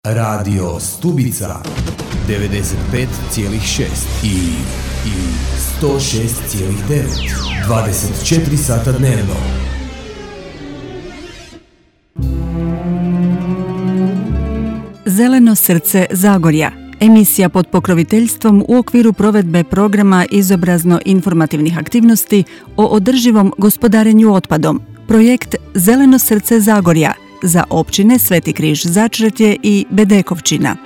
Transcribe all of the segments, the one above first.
Radio Stubica 95,6 i 106,9 24 sata dnevno. Zeleno srce Zagorja. Emisija pod pokroviteljstvom u okviru provedbe programa izobrazno-informativnih aktivnosti o održivom gospodarenju otpadom. Projekt Zeleno srce Zagorja za općine Sveti Križ Začretje i Bedekovčina.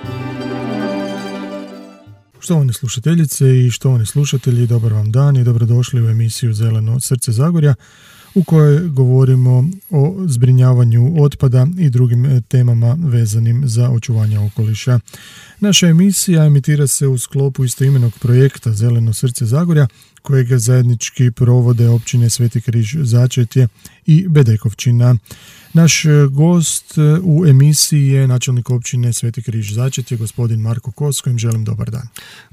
Štovane slušateljice i štovani slušatelji, dobar vam dan i dobrodošli u emisiju Zeleno srce Zagorja, u kojoj govorimo o zbrinjavanju otpada i drugim temama vezanim za očuvanje okoliša. Naša emisija emitira se u sklopu istoimenog projekta Zeleno srce Zagorja, kojeg zajednički provode općine Sveti Križ Začretje i Bedekovčina. Naš gost u emisiji je načelnik općine Sveti Križ Začretje, gospodin Marko Kos, kojim želim dobar dan.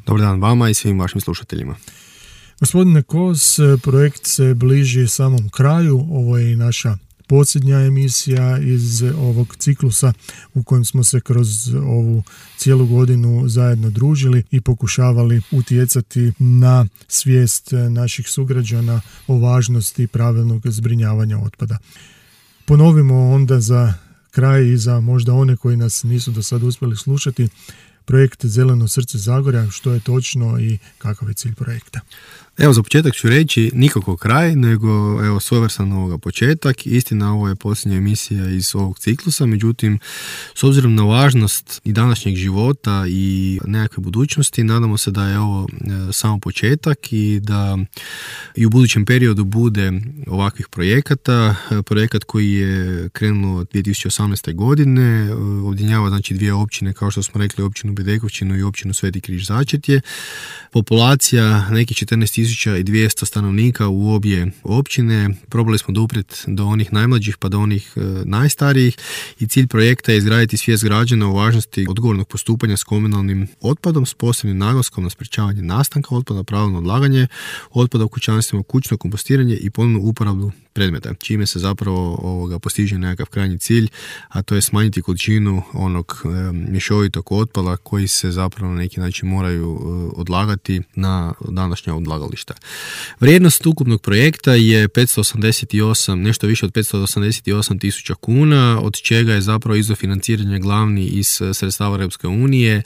Dobar dan vama i svim vašim slušateljima. Gospodine Kos, projekt se bliži samom kraju. Ovo je i naša posljednja emisija iz ovog ciklusa u kojem smo se kroz ovu cijelu godinu zajedno družili i pokušavali utjecati na svijest naših sugrađana o važnosti pravilnog zbrinjavanja otpada. Ponovimo onda za kraj i za možda one koji nas nisu do sada uspjeli slušati projekt Zeleno srce Zagorja, što je točno i kakav je cilj projekta. Evo, za početak ću reći nikako kraj, nego evo svojevrstan ovoga početak. Istina, ovo je posljednja emisija iz ovog ciklusa, međutim, s obzirom na važnost i današnjeg života i nekakve budućnosti, nadamo se da je ovo samo početak i da i u budućem periodu bude ovakvih projekata. Projekat koji je krenuo 2018. godine, objedinjava znači dvije općine, kao što smo rekli, općinu Bedekovčinu i općinu Sveti Križ Začretje. Populacija nekih 14.200 stanovnika u obje općine. Probali smo doprijeti do onih najmlađih pa do onih najstarijih i cilj projekta je izgraditi svijest građana o važnosti odgovornog postupanja s komunalnim otpadom s posebnim naglaskom na sprječavanje nastanka otpada, pravilno odlaganje otpada u kućanstvima, kućno kompostiranje i ponovnu uporabu predmeta, čime se zapravo postiže nekakav krajnji cilj, a to je smanjiti količinu onog mješovitog otpada koji se zapravo na neki način moraju odlagati na današnja odlagališta. Vrijednost ukupnog projekta je 588, nešto više od 588.000 kuna, od čega je zapravo izvor financiranja glavni iz sredstava Europske unije,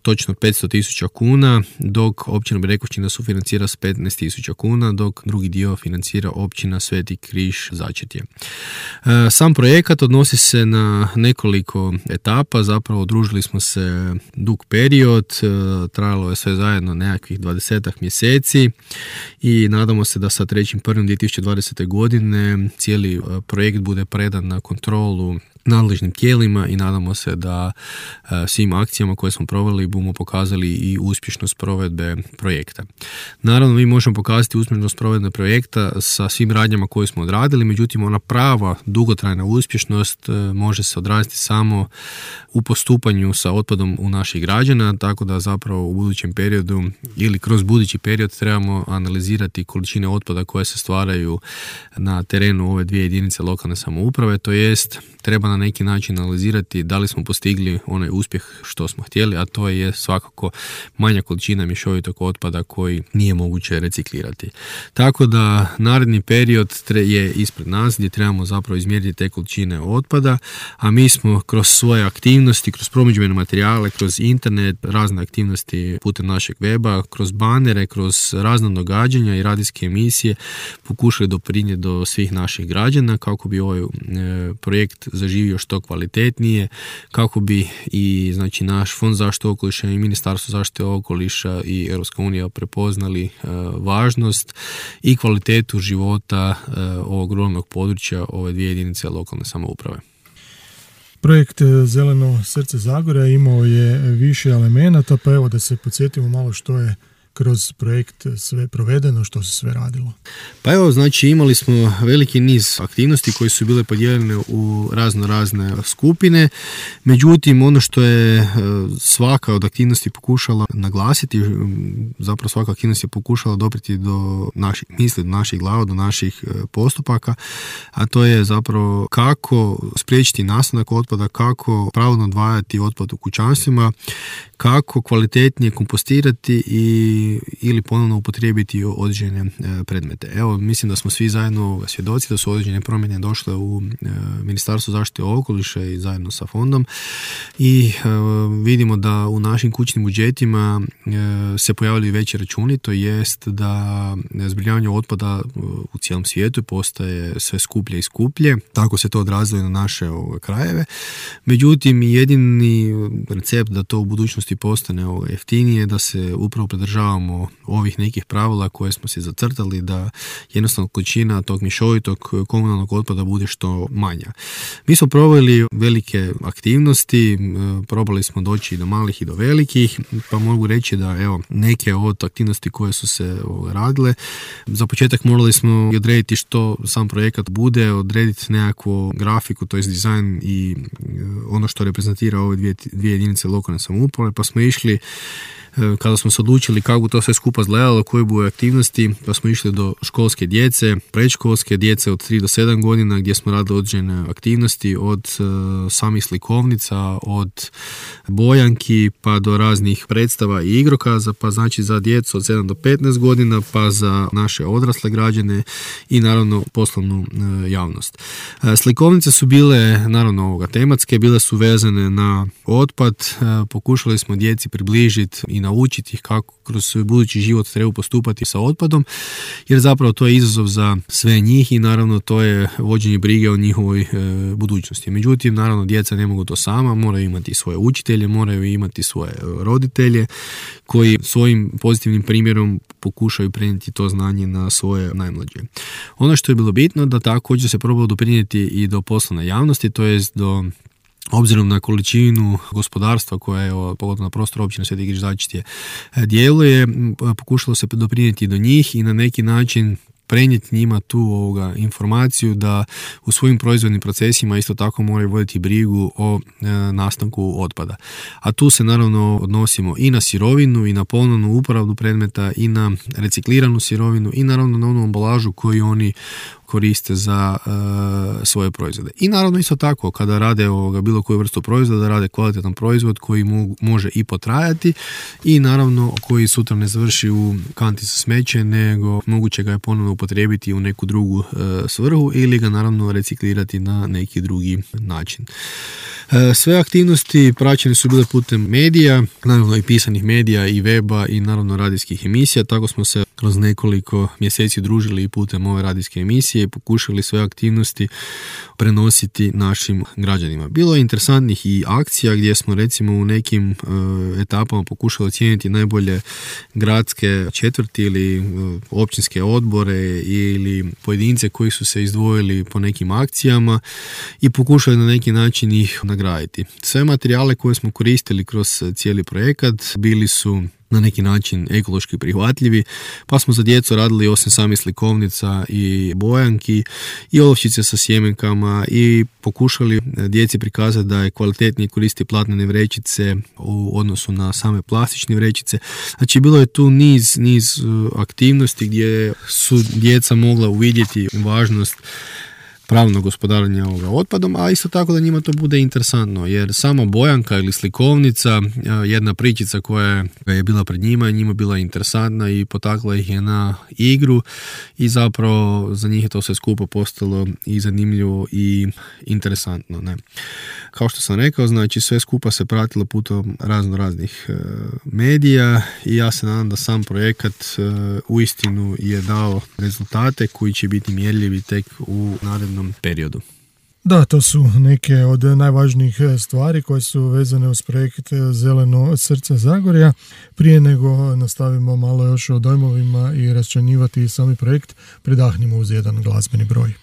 točno 500.000 kuna, dok općina Bedekovčina sufinancira s 15.000 kuna, dok drugi dio financira općina Sveti Križ Začretje. Sam projekat odnosi se na nekoliko etapa, zapravo udružili smo se dug period, trajalo je sve zajedno nekakvih 20 mjeseci i nadamo se da sa 3.1.2020. godine cijeli projekt bude predan na kontrolu nadležnim tijelima i nadamo se da svim akcijama koje smo proveli budemo pokazali i uspješnost provedbe projekta. Naravno, mi možemo pokazati uspješnost provedbe projekta sa svim radnjama koje smo odradili, međutim ona prava dugotrajna uspješnost može se odraziti samo u postupanju sa otpadom u naših građana, tako da zapravo u budućem periodu ili kroz budući period trebamo analizirati količine otpada koje se stvaraju na terenu ove dvije jedinice lokalne samouprave, to jest treba na neki način analizirati da li smo postigli onaj uspjeh što smo htjeli, a to je svakako manja količina mješovitog otpada koji nije moguće reciklirati. Tako da naredni period je ispred nas gdje trebamo zapravo izmjeriti te količine otpada, a mi smo kroz svoje aktivnosti, kroz promidžbene materijale, kroz internet, razne aktivnosti putem našeg weba, kroz banere, kroz razna događanja i radijske emisije pokušali doprinijeti do svih naših građana kako bi ovaj projekt zaživio što kvalitetnije, kako bi i znači naš Fond zaštite okoliša i Ministarstvo zaštite okoliša i Europska unija prepoznali važnost i kvalitetu života ovog ruralnog područja ove dvije jedinice lokalne samouprave. Projekt Zeleno srce Zagorja imao je više elemenata, pa evo da se podsjetimo malo što je kroz projekt sve provedeno, što se sve radilo? Pa evo, znači imali smo veliki niz aktivnosti koje su bile podijeljene u razne skupine, međutim ono što je svaka od aktivnosti pokušala naglasiti, zapravo svaka aktivnost je pokušala doprijeti do naših misli, do naših glava, do naših postupaka, a to je zapravo kako spriječiti nastanak otpada, kako pravilno odvajati otpad u kućanstvima, kako kvalitetnije kompostirati ili ponovno upotrijebiti određene predmete. Evo, mislim da smo svi zajedno svjedoci da su određene promjene došle u Ministarstvu zaštite okoliša i zajedno sa fondom i vidimo da u našim kućnim budžetima se pojavljaju veći računi, to jest da zbrinjavanje otpada u cijelom svijetu postaje sve skuplje i skuplje, tako se to odrazilo i na naše krajeve. Međutim, jedini recept da to u budućnosti postane jeftinije, da se upravo pridržavamo ovih nekih pravila koje smo si zacrtali, da jednostavno količina tog mješovitog komunalnog otpada bude što manja. Mi smo proveli velike aktivnosti, probali smo doći i do malih i do velikih, pa mogu reći da evo, neke od aktivnosti koje su se radile, za početak morali smo odrediti što sam projekat bude, odrediti nekakvu grafiku, to je dizajn i ono što reprezentira ove dvije jedinice lokalne samouprave, pa smo išli, kada smo se odlučili kako to sve skupa izgledalo, koje budu aktivnosti, pa smo išli do školske djece, predškolske djece od 3 do 7 godina gdje smo radili određene aktivnosti od samih slikovnica, od bojanki pa do raznih predstava i igrokaza, pa znači za djecu od 7 do 15 godina, pa za naše odrasle građane i naravno poslovnu javnost. Slikovnice su bile naravno tematske, bile su vezane na otpad, pokušali smo djeci približiti i naučiti ih kako kroz svoj budući život treba postupati sa otpadom, jer zapravo to je izazov za sve njih i naravno to je vođenje brige o njihovoj budućnosti. Međutim, naravno djeca ne mogu to sama, moraju imati svoje učitelje, moraju imati svoje roditelje koji svojim pozitivnim primjerom pokušaju prenijeti to znanje na svoje najmlađe. Ono što je bilo bitno da također se probalo doprinijeti i do poslovne javnosti, to jest do obzirom na količinu gospodarstva koja je pogotovo na prostoru općine Sveti Križačitije djeluje, pokušalo se doprinijeti do njih i na neki način prenijeti njima tu informaciju da u svojim proizvodnim procesima isto tako moraju voditi brigu o nastanku otpada. A tu se naravno odnosimo i na sirovinu i na ponovnu uporabu predmeta i na recikliranu sirovinu i naravno na onu ambalažu koju oni koriste za svoje proizvode. I naravno isto tako kada rade bilo koju vrstu proizvoda, rade kvalitetan proizvod koji može i potrajati i naravno koji sutra ne završi u kanti za smeće, nego moguće ga je ponovno upotrijebiti u neku drugu svrhu ili ga naravno reciklirati na neki drugi način. Sve aktivnosti praćene su bile putem medija, naravno i pisanih medija i weba i naravno radijskih emisija, tako smo se kroz nekoliko mjeseci družili i putem ove radijske emisije i pokušali sve aktivnosti prenositi našim građanima. Bilo je interesantnih i akcija gdje smo recimo u nekim etapama pokušali ocijeniti najbolje gradske četvrti ili općinske odbore ili pojedince koji su se izdvojili po nekim akcijama i pokušali na neki način ih nagraditi. Sve materijale koje smo koristili kroz cijeli projekat bili su na neki način ekološki prihvatljivi, pa smo za djecu radili osim samih slikovnica i bojanki i olovčice sa sjemenkama i pokušali djeci prikazati da je kvalitetnije koristiti platnene vrećice u odnosu na same plastične vrećice. Znači bilo je tu niz aktivnosti gdje su djeca mogla uvidjeti važnost pravno gospodarenje otpadom, a isto tako da njima to bude interesantno, jer samo bojanka ili slikovnica, jedna pričica koja je bila pred njima bila interesantna i potakla ih je na igru i zapravo za njih je to sve skupo postalo i zanimljivo i interesantno. Ne? Kao što sam rekao, znači sve skupa se pratilo putem raznih medija i ja se nadam da sam projekat uistinu je dao rezultate koji će biti mjerljivi tek u narednom periodu. Da, to su neke od najvažnijih stvari koje su vezane uz projekt Zeleno srce Zagorja. Prije nego nastavimo malo još o dojmovima i raščlanjivati sami projekt, predahnimo uz jedan glazbeni broj.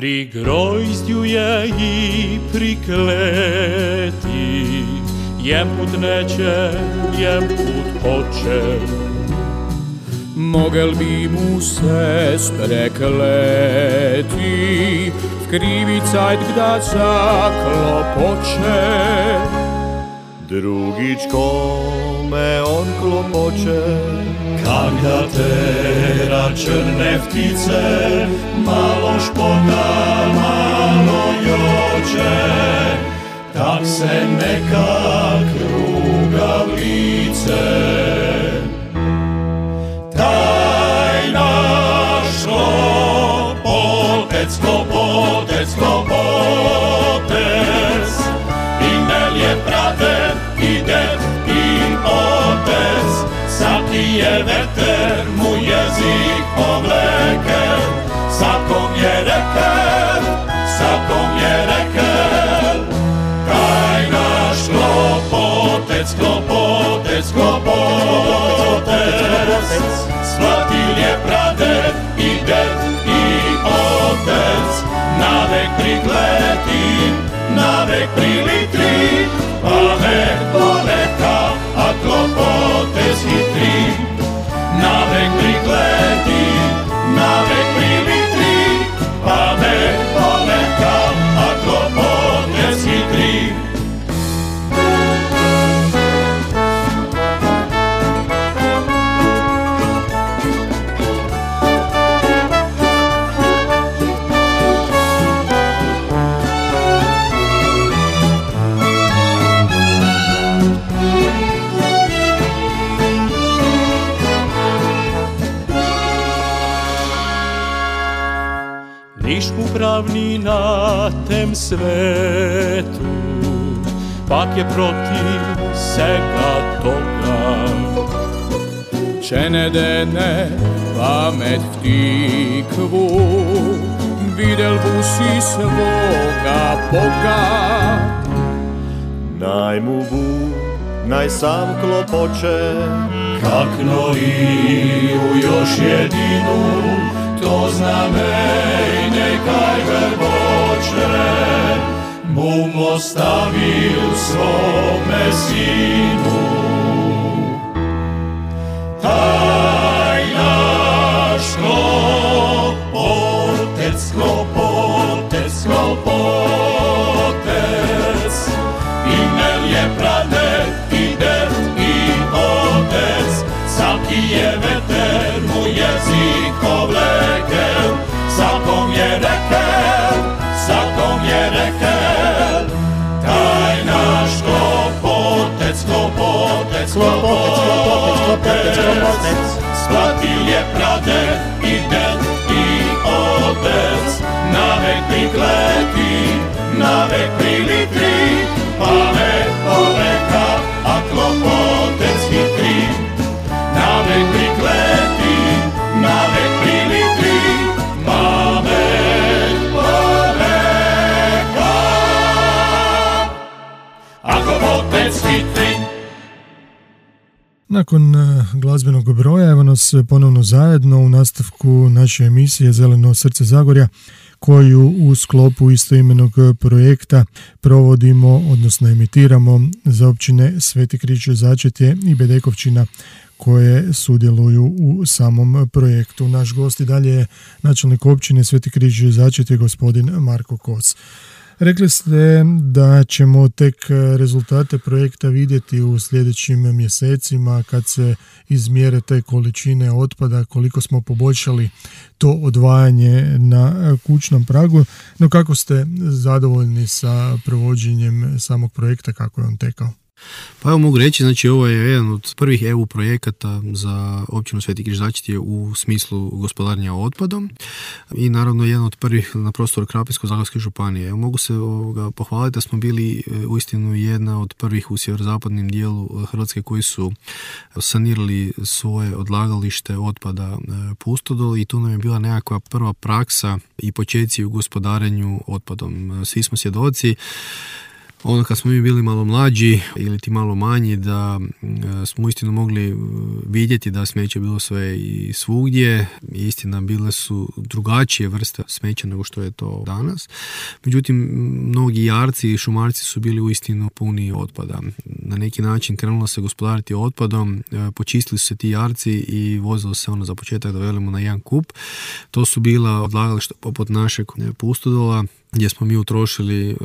pri grozdju je i prikleti, jemput neće, jemput hoće. Mogel bi mu se sprekleti, v krivi cajt gda zaklopoče. Drugič kome on klopoče, Kak da tera črne ptice, malo špota, malo joče, tak se nekak ruga v lice. Taj naš klopotec, klopotec, klopotec, imel je praten i ded i otec, saki je veter mu jezik povlekel, sakom je rekel, sakom je rekel. Taj naš klopotec, klopotec, klopotec, shvatil je praded i ded i otec, navek prikleti, navek prilitri, pamet poleka, a klopotec hitri. Navek prikleti, navek prilitri, pamet poleka, a klopotec hitri. Niš upravni na tem svetu, pak je protiv svega toga. Če ne dene pamet v tikvu, videl bu si svoga Boga. naj mu bu, naj sam klopoče, Kak Noiju još jedinu, to znamej nekaj grboče, bum ostavil svome sinu. Taj naš klopotec, klopotec, klopotec, imel je praded i ded i otec, svaki je veter mu jezik povlekel, svakom je rekel, svakom je rekel. Taj naš klopotec, klopotec, klopotec, shvatil je praded i ded i otec, navek prikleti, navek prilitri, pamet poveka, a klopotec hitri. Navek prikleti, navek prilitri, pamet poveka, a klopotec hitri. Nakon glazbenog broja evo nas ponovno zajedno u nastavku naše emisije Zeleno srce Zagorja, koju u sklopu istoimenog projekta provodimo, odnosno emitiramo za općine Sveti Križ Začetje i Bedekovčina koje sudjeluju u samom projektu. Naš gost i dalje je načelnik općine Sveti Križ Začetje, gospodin Marko Kos. Rekli ste da ćemo tek rezultate projekta vidjeti u sljedećim mjesecima kad se izmjere te količine otpada, koliko smo poboljšali to odvajanje na kućnom pragu. No kako ste zadovoljni sa provođenjem samog projekta, kako je on tekao? Pa evo mogu reći, znači ovo je jedan od prvih EU projekata za općinu Sveti Križ Začetje u smislu gospodarenja otpadom i naravno jedan od prvih na prostoru Krapinsko-zagorske županije. Evo, mogu se pohvaliti da smo bili uistinu jedna od prvih u sjeverozapadnom dijelu Hrvatske koji su sanirali svoje odlagalište otpada Pustodol i tu nam je bila nekakva prva praksa i počeci u gospodarenju otpadom. Svi smo svjedoci Ono kad smo mi bili malo mlađi ili ti malo manji, da smo uistinu mogli vidjeti da smeće bilo sve i svugdje. Istina, bile su drugačije vrste smeća nego što je to danas. Međutim, mnogi jarci i šumarci su bili uistinu puni otpada. Na neki način krenulo se gospodariti otpadom, počistili su se ti jarci i vozilo se za početak da velimo na jedan kup. To su bila odlagališta poput našeg Pustodola, gdje smo mi utrošili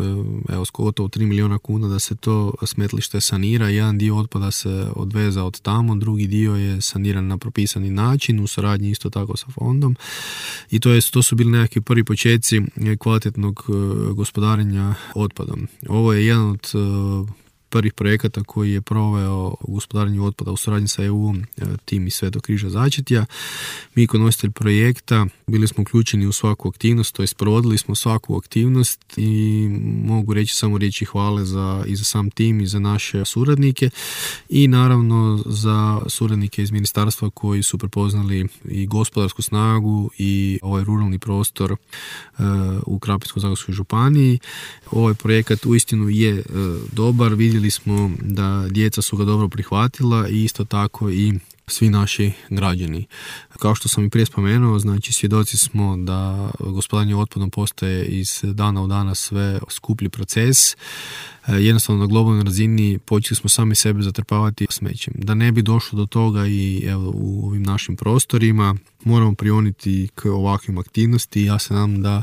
gotovo 3 milijuna kuna da se to smetlište sanira. Jedan dio otpada se odveza od tamo, drugi dio je saniran na propisani način u suradnji isto tako sa fondom. I to su bili nekakvi prvi početci kvalitetnog gospodarenja otpadom. Ovo je jedan od prvih projekata koji je proveo gospodarenje otpada u suradnji sa EU, tim iz Svetog križa Začetja. Mi kao nositelj projekta bili smo uključeni u svaku aktivnost, to jest provodili smo svaku aktivnost i mogu reći samo riječi hvale i za sam tim i za naše suradnike i naravno za suradnike iz ministarstva koji su prepoznali i gospodarsku snagu i ovaj ruralni prostor u Krapinsko-zagorskoj županiji. Ovaj projekat uistinu je dobar, vidjeli smo da djeca su ga dobro prihvatila i isto tako i svi naši građani. Kao što sam i prije spomenuo, znači svjedoci smo da gospodarenje otpadom postaje iz dana u dana sve skuplji proces. Jednostavno na globalnoj razini počeli smo sami sebe zatrpavati smećem. Da ne bi došlo do toga i u ovim našim prostorima moramo prioniti k ovakvim aktivnosti. Ja se nadam da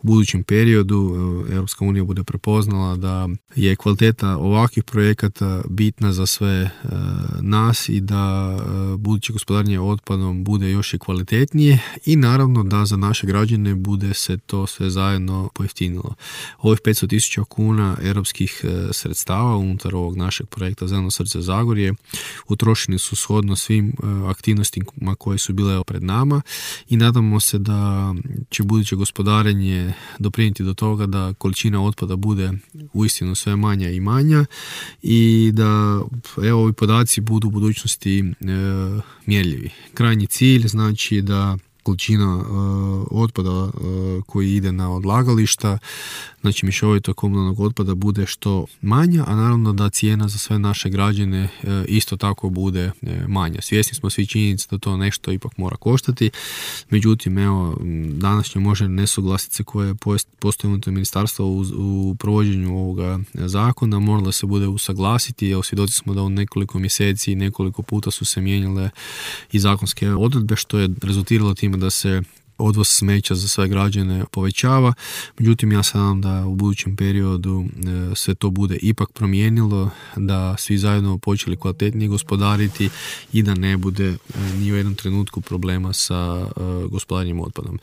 u budućem periodu Europska unija bude prepoznala da je kvaliteta ovakvih projekata bitna za sve nas i da buduće gospodarenje otpadom bude još i kvalitetnije i naravno da za naše građane bude se to sve zajedno pojeftinilo. Ovih 500.000 kuna europskih sredstava unutar ovog našeg projekta Zeleno srce Zagorje utrošeni su shodno svim aktivnostima koje su bile pred nama i nadamo se da će buduće gospodarenje doprinijeti do toga da količina otpada bude uistinu sve manja i manja i da ovi podaci budu u budućnosti mjerljivi. Krajnji cilj znači da količina otpada koji ide na odlagališta, znači mješovitog komunalnog otpada bude što manja, a naravno da cijena za sve naše građane isto tako bude manja. Svjesni smo svi činjenice da to nešto ipak mora koštati, međutim današnje možda nesuglasice koje postoje unutar ministarstva u provođenju ovoga zakona moralo se bude usaglasiti. Svjedoci smo da u nekoliko mjeseci i nekoliko puta su se mijenjale i zakonske odredbe što je rezultiralo time da se odvoz smeća za sve građane povećava. Međutim, ja se nadam da u budućem periodu sve to bude ipak promijenilo, da svi zajedno počeli kvalitetnije gospodariti i da ne bude ni u jednom trenutku problema sa gospodarenjem otpadom.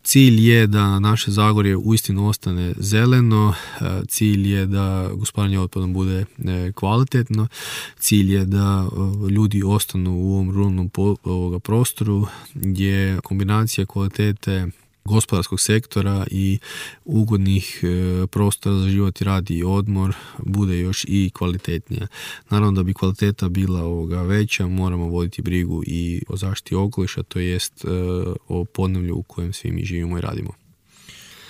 Cilj je da naše Zagorje uistinu ostane zeleno, cilj je da gospodarenje otpadom bude kvalitetno, cilj je da ljudi ostanu u ovom ruralnom prostoru gdje kombinacija kvalitete gospodarskog sektora i ugodnih prostora za život i rad i odmor bude još i kvalitetnija. Naravno da bi kvaliteta bila veća, moramo voditi brigu i o zaštiti okoliša, to jest o podneblju u kojem svi mi živimo i radimo.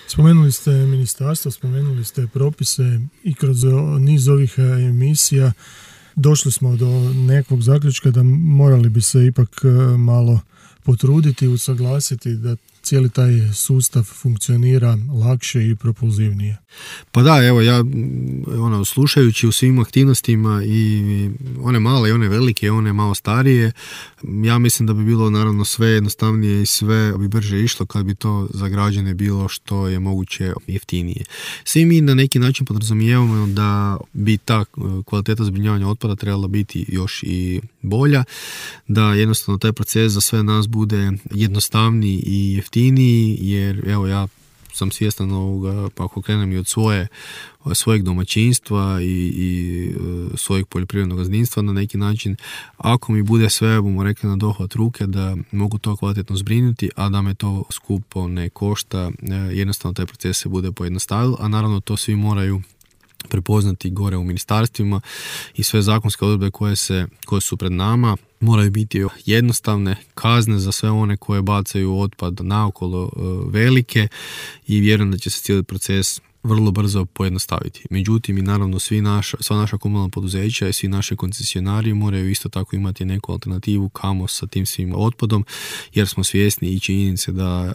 Spomenuli ste ministarstvo, spomenuli ste propise i kroz niz ovih emisija došli smo do nekog zaključka da morali bi se ipak malo potruditi, usaglasiti da cijeli taj sustav funkcionira lakše i propulzivnije. Pa da, evo ja slušajući u svim aktivnostima i one male i one velike i one malo starije, ja mislim da bi bilo naravno sve jednostavnije i sve bi brže išlo kad bi to za građane bilo što je moguće jeftinije. Svi mi na neki način podrazumijevamo da bi ta kvaliteta zbrinjavanja otpada trebala biti još i bolja, da jednostavno taj proces za sve nas bude jednostavniji i jeftiniji, jer evo ja sam svjestan ovoga, pa ako krenem i od svojeg domaćinstva i svojeg poljoprivrednog gazdinstva na neki način, ako mi bude sve, bomo rekli, na dohvat ruke, da mogu to kvalitetno zbrinuti, a da me to skupo ne košta, jednostavno taj proces se bude pojednostavio, a naravno to svi moraju prepoznati gore u ministarstvima i sve zakonske odredbe koje su pred nama moraju biti jednostavne, kazne za sve one koje bacaju otpad naokolo velike i vjerujem da će se cijeli proces vrlo brzo pojednostaviti. Međutim, i naravno sva naša komunalna poduzeća i svi naši koncesionari moraju isto tako imati neku alternativu kamo sa tim svim otpadom, jer smo svjesni i činjenice da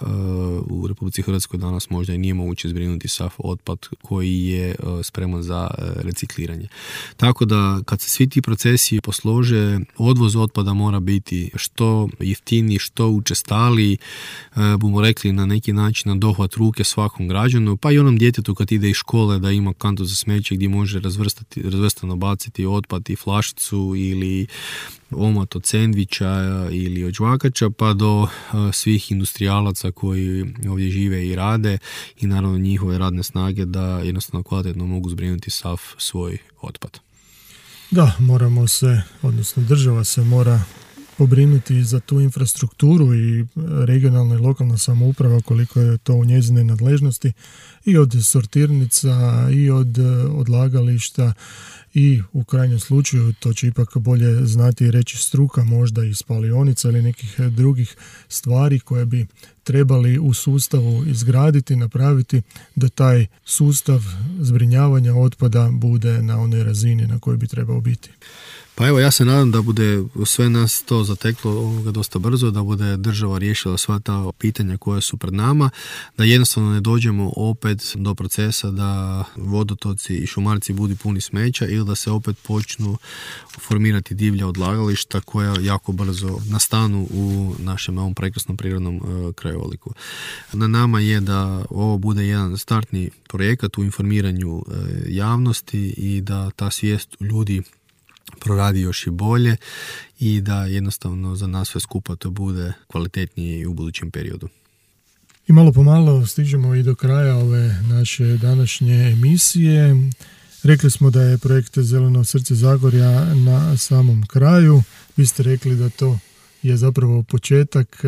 u Republici Hrvatskoj danas možda i nije moguće zbrinuti sav otpad koji je spreman za recikliranje. Tako da kad se svi ti procesi poslože, odvoz otpada mora biti što jeftiniji, što učestaliji, bomo rekli na neki način na dohvat ruke svakom građanu, pa i onom djetetu kad ide iz škole da ima kantu za smeće gdje može razvrstano baciti otpad i flašicu ili omot od sendviča ili od žvakača, pa do svih industrijalaca koji ovdje žive i rade i naravno njihove radne snage da jednostavno kvalitetno mogu zbrinuti sav svoj otpad. Da, moramo se, odnosno država se mora pobrinuti za tu infrastrukturu i regionalna i lokalna samouprava koliko je to u njezine nadležnosti i od sortirnica i od odlagališta i u krajnjem slučaju to će ipak bolje znati i reći struka, možda i spalionica ili nekih drugih stvari koje bi trebali u sustavu izgraditi, napraviti da taj sustav zbrinjavanja otpada bude na onoj razini na kojoj bi trebao biti. Pa evo, ja se nadam da bude sve nas to zateklo dosta brzo, da bude država riješila sva ta pitanja koja su pred nama, da jednostavno ne dođemo opet do procesa da vodotoci i šumarci budu puni smeća ili da se opet počnu formirati divlja odlagališta koja jako brzo nastanu u našem ovom prekrasnom prirodnom krajoliku. Na nama je da ovo bude jedan startni projekat u informiranju javnosti i da ta svijest ljudi proradi još i bolje i da jednostavno za nas sve skupa to bude kvalitetnije i u budućem periodu. I malo po malo stižemo i do kraja ove naše današnje emisije. Rekli smo da je projekt Zeleno srce Zagorja na samom kraju. Vi ste rekli da to je zapravo početak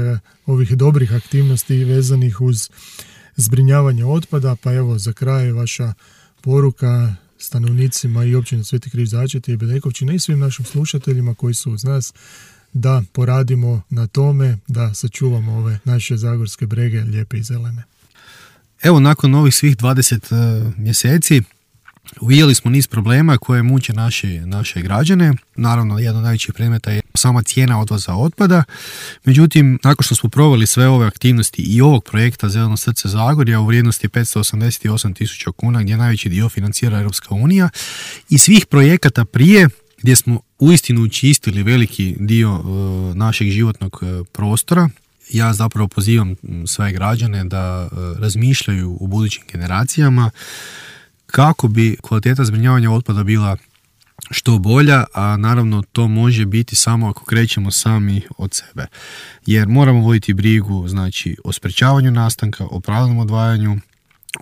ovih dobrih aktivnosti vezanih uz zbrinjavanje otpada, pa evo za kraj vaša poruka stanovnicima i općine Sveti Križ Začeti i Bedekovčine i svim našim slušateljima koji su uz nas da poradimo na tome da sačuvamo ove naše zagorske brege lijepe i zelene. Evo, nakon ovih svih 20 mjeseci uvidjeli smo niz problema koje muče naše građane. Naravno, jedan od najvećih predmeta je sama cijena odvoza otpada. Međutim, nakon što smo proveli sve ove aktivnosti i ovog projekta Zeleno srce Zagorja u vrijednosti 588.000 kuna, gdje najveći dio financira Europska unija, i svih projekata prije gdje smo uistinu učistili veliki dio našeg životnog prostora, ja zapravo pozivam sve građane da razmišljaju o budućim generacijama kako bi kvaliteta zbrinjavanja otpada bila što bolja, a naravno to može biti samo ako krećemo sami od sebe. Jer moramo voditi brigu, znači, o sprečavanju nastanka, o pravilnom odvajanju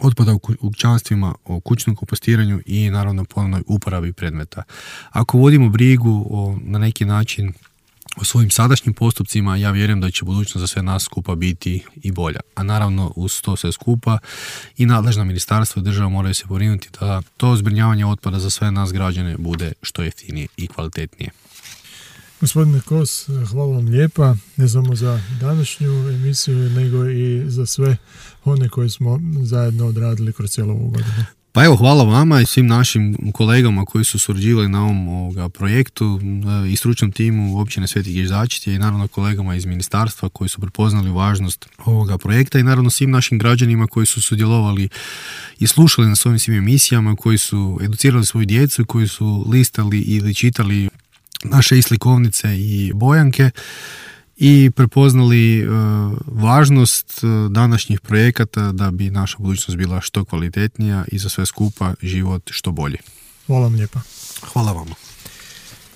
otpada u kućanstvima, o kućnom kompostiranju i naravno ponovnoj uporabi predmeta. Ako vodimo brigu na neki način o svojim sadašnjim postupcima, ja vjerujem da će budućnost za sve nas skupa biti i bolja. A naravno uz to sve skupa i nadležna ministarstva i država moraju se pobrinuti da to zbrinjavanje otpada za sve nas građane bude što jeftinije i kvalitetnije. Gospodine Kos, hvala vam lijepa, ne samo za današnju emisiju, nego i za sve one koje smo zajedno odradili kroz cijelu ovu godinu. Pa evo, hvala vama i svim našim kolegama koji su surađivali na ovom projektu i stručnom timu općine Sveti Križ Začeti i naravno kolegama iz ministarstva koji su prepoznali važnost ovoga projekta i naravno svim našim građanima koji su sudjelovali i slušali na svojim svim emisijama, koji su educirali svoju djecu, koji su listali ili čitali naše i slikovnice i bojanke i prepoznali važnost današnjih projekata da bi naša budućnost bila što kvalitetnija i za sve skupa život što bolji. Hvala vam lijepa. Hvala vama.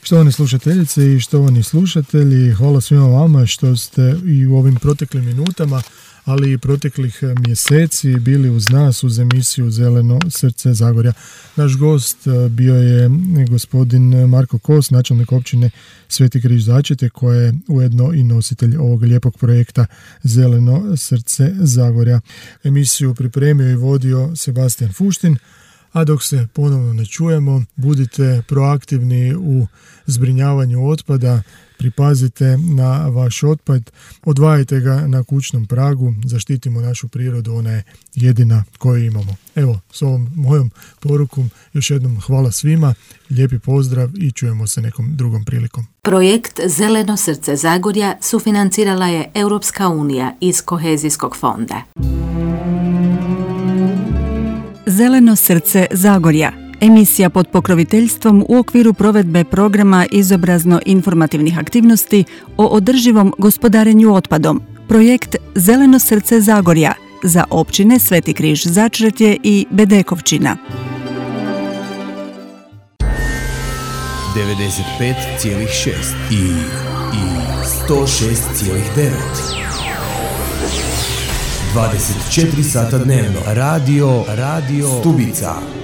Štovani slušateljice i štovani slušatelji, hvala svima vama što ste i u ovim proteklim minutama, ali i proteklih mjeseci bili uz nas uz emisiju Zeleno srce Zagorja. Naš gost bio je gospodin Marko Kos, načelnik općine Sveti Križ Začeti, koji je ujedno i nositelj ovog lijepog projekta Zeleno srce Zagorja. Emisiju pripremio i vodio Sebastian Fuštin, a dok se ponovno ne čujemo, budite proaktivni u zbrinjavanju otpada, pripazite na vaš otpad, odvajajte ga na kućnom pragu, zaštitimo našu prirodu, ona je jedina koju imamo. Evo, s ovom mojom porukom još jednom hvala svima, lijepi pozdrav i čujemo se nekom drugom prilikom. Projekt Zeleno srce Zagorja sufinancirala je Europska unija iz Kohezijskog fonda. Zeleno srce Zagorja, emisija pod pokroviteljstvom u okviru provedbe programa izobrazno-informativnih aktivnosti o održivom gospodarenju otpadom. Projekt Zeleno srce Zagorja za općine Sveti Križ Začretje i Bedekovčina. 95,6 i 106,9. 24 sata dnevno. Radio Stubica.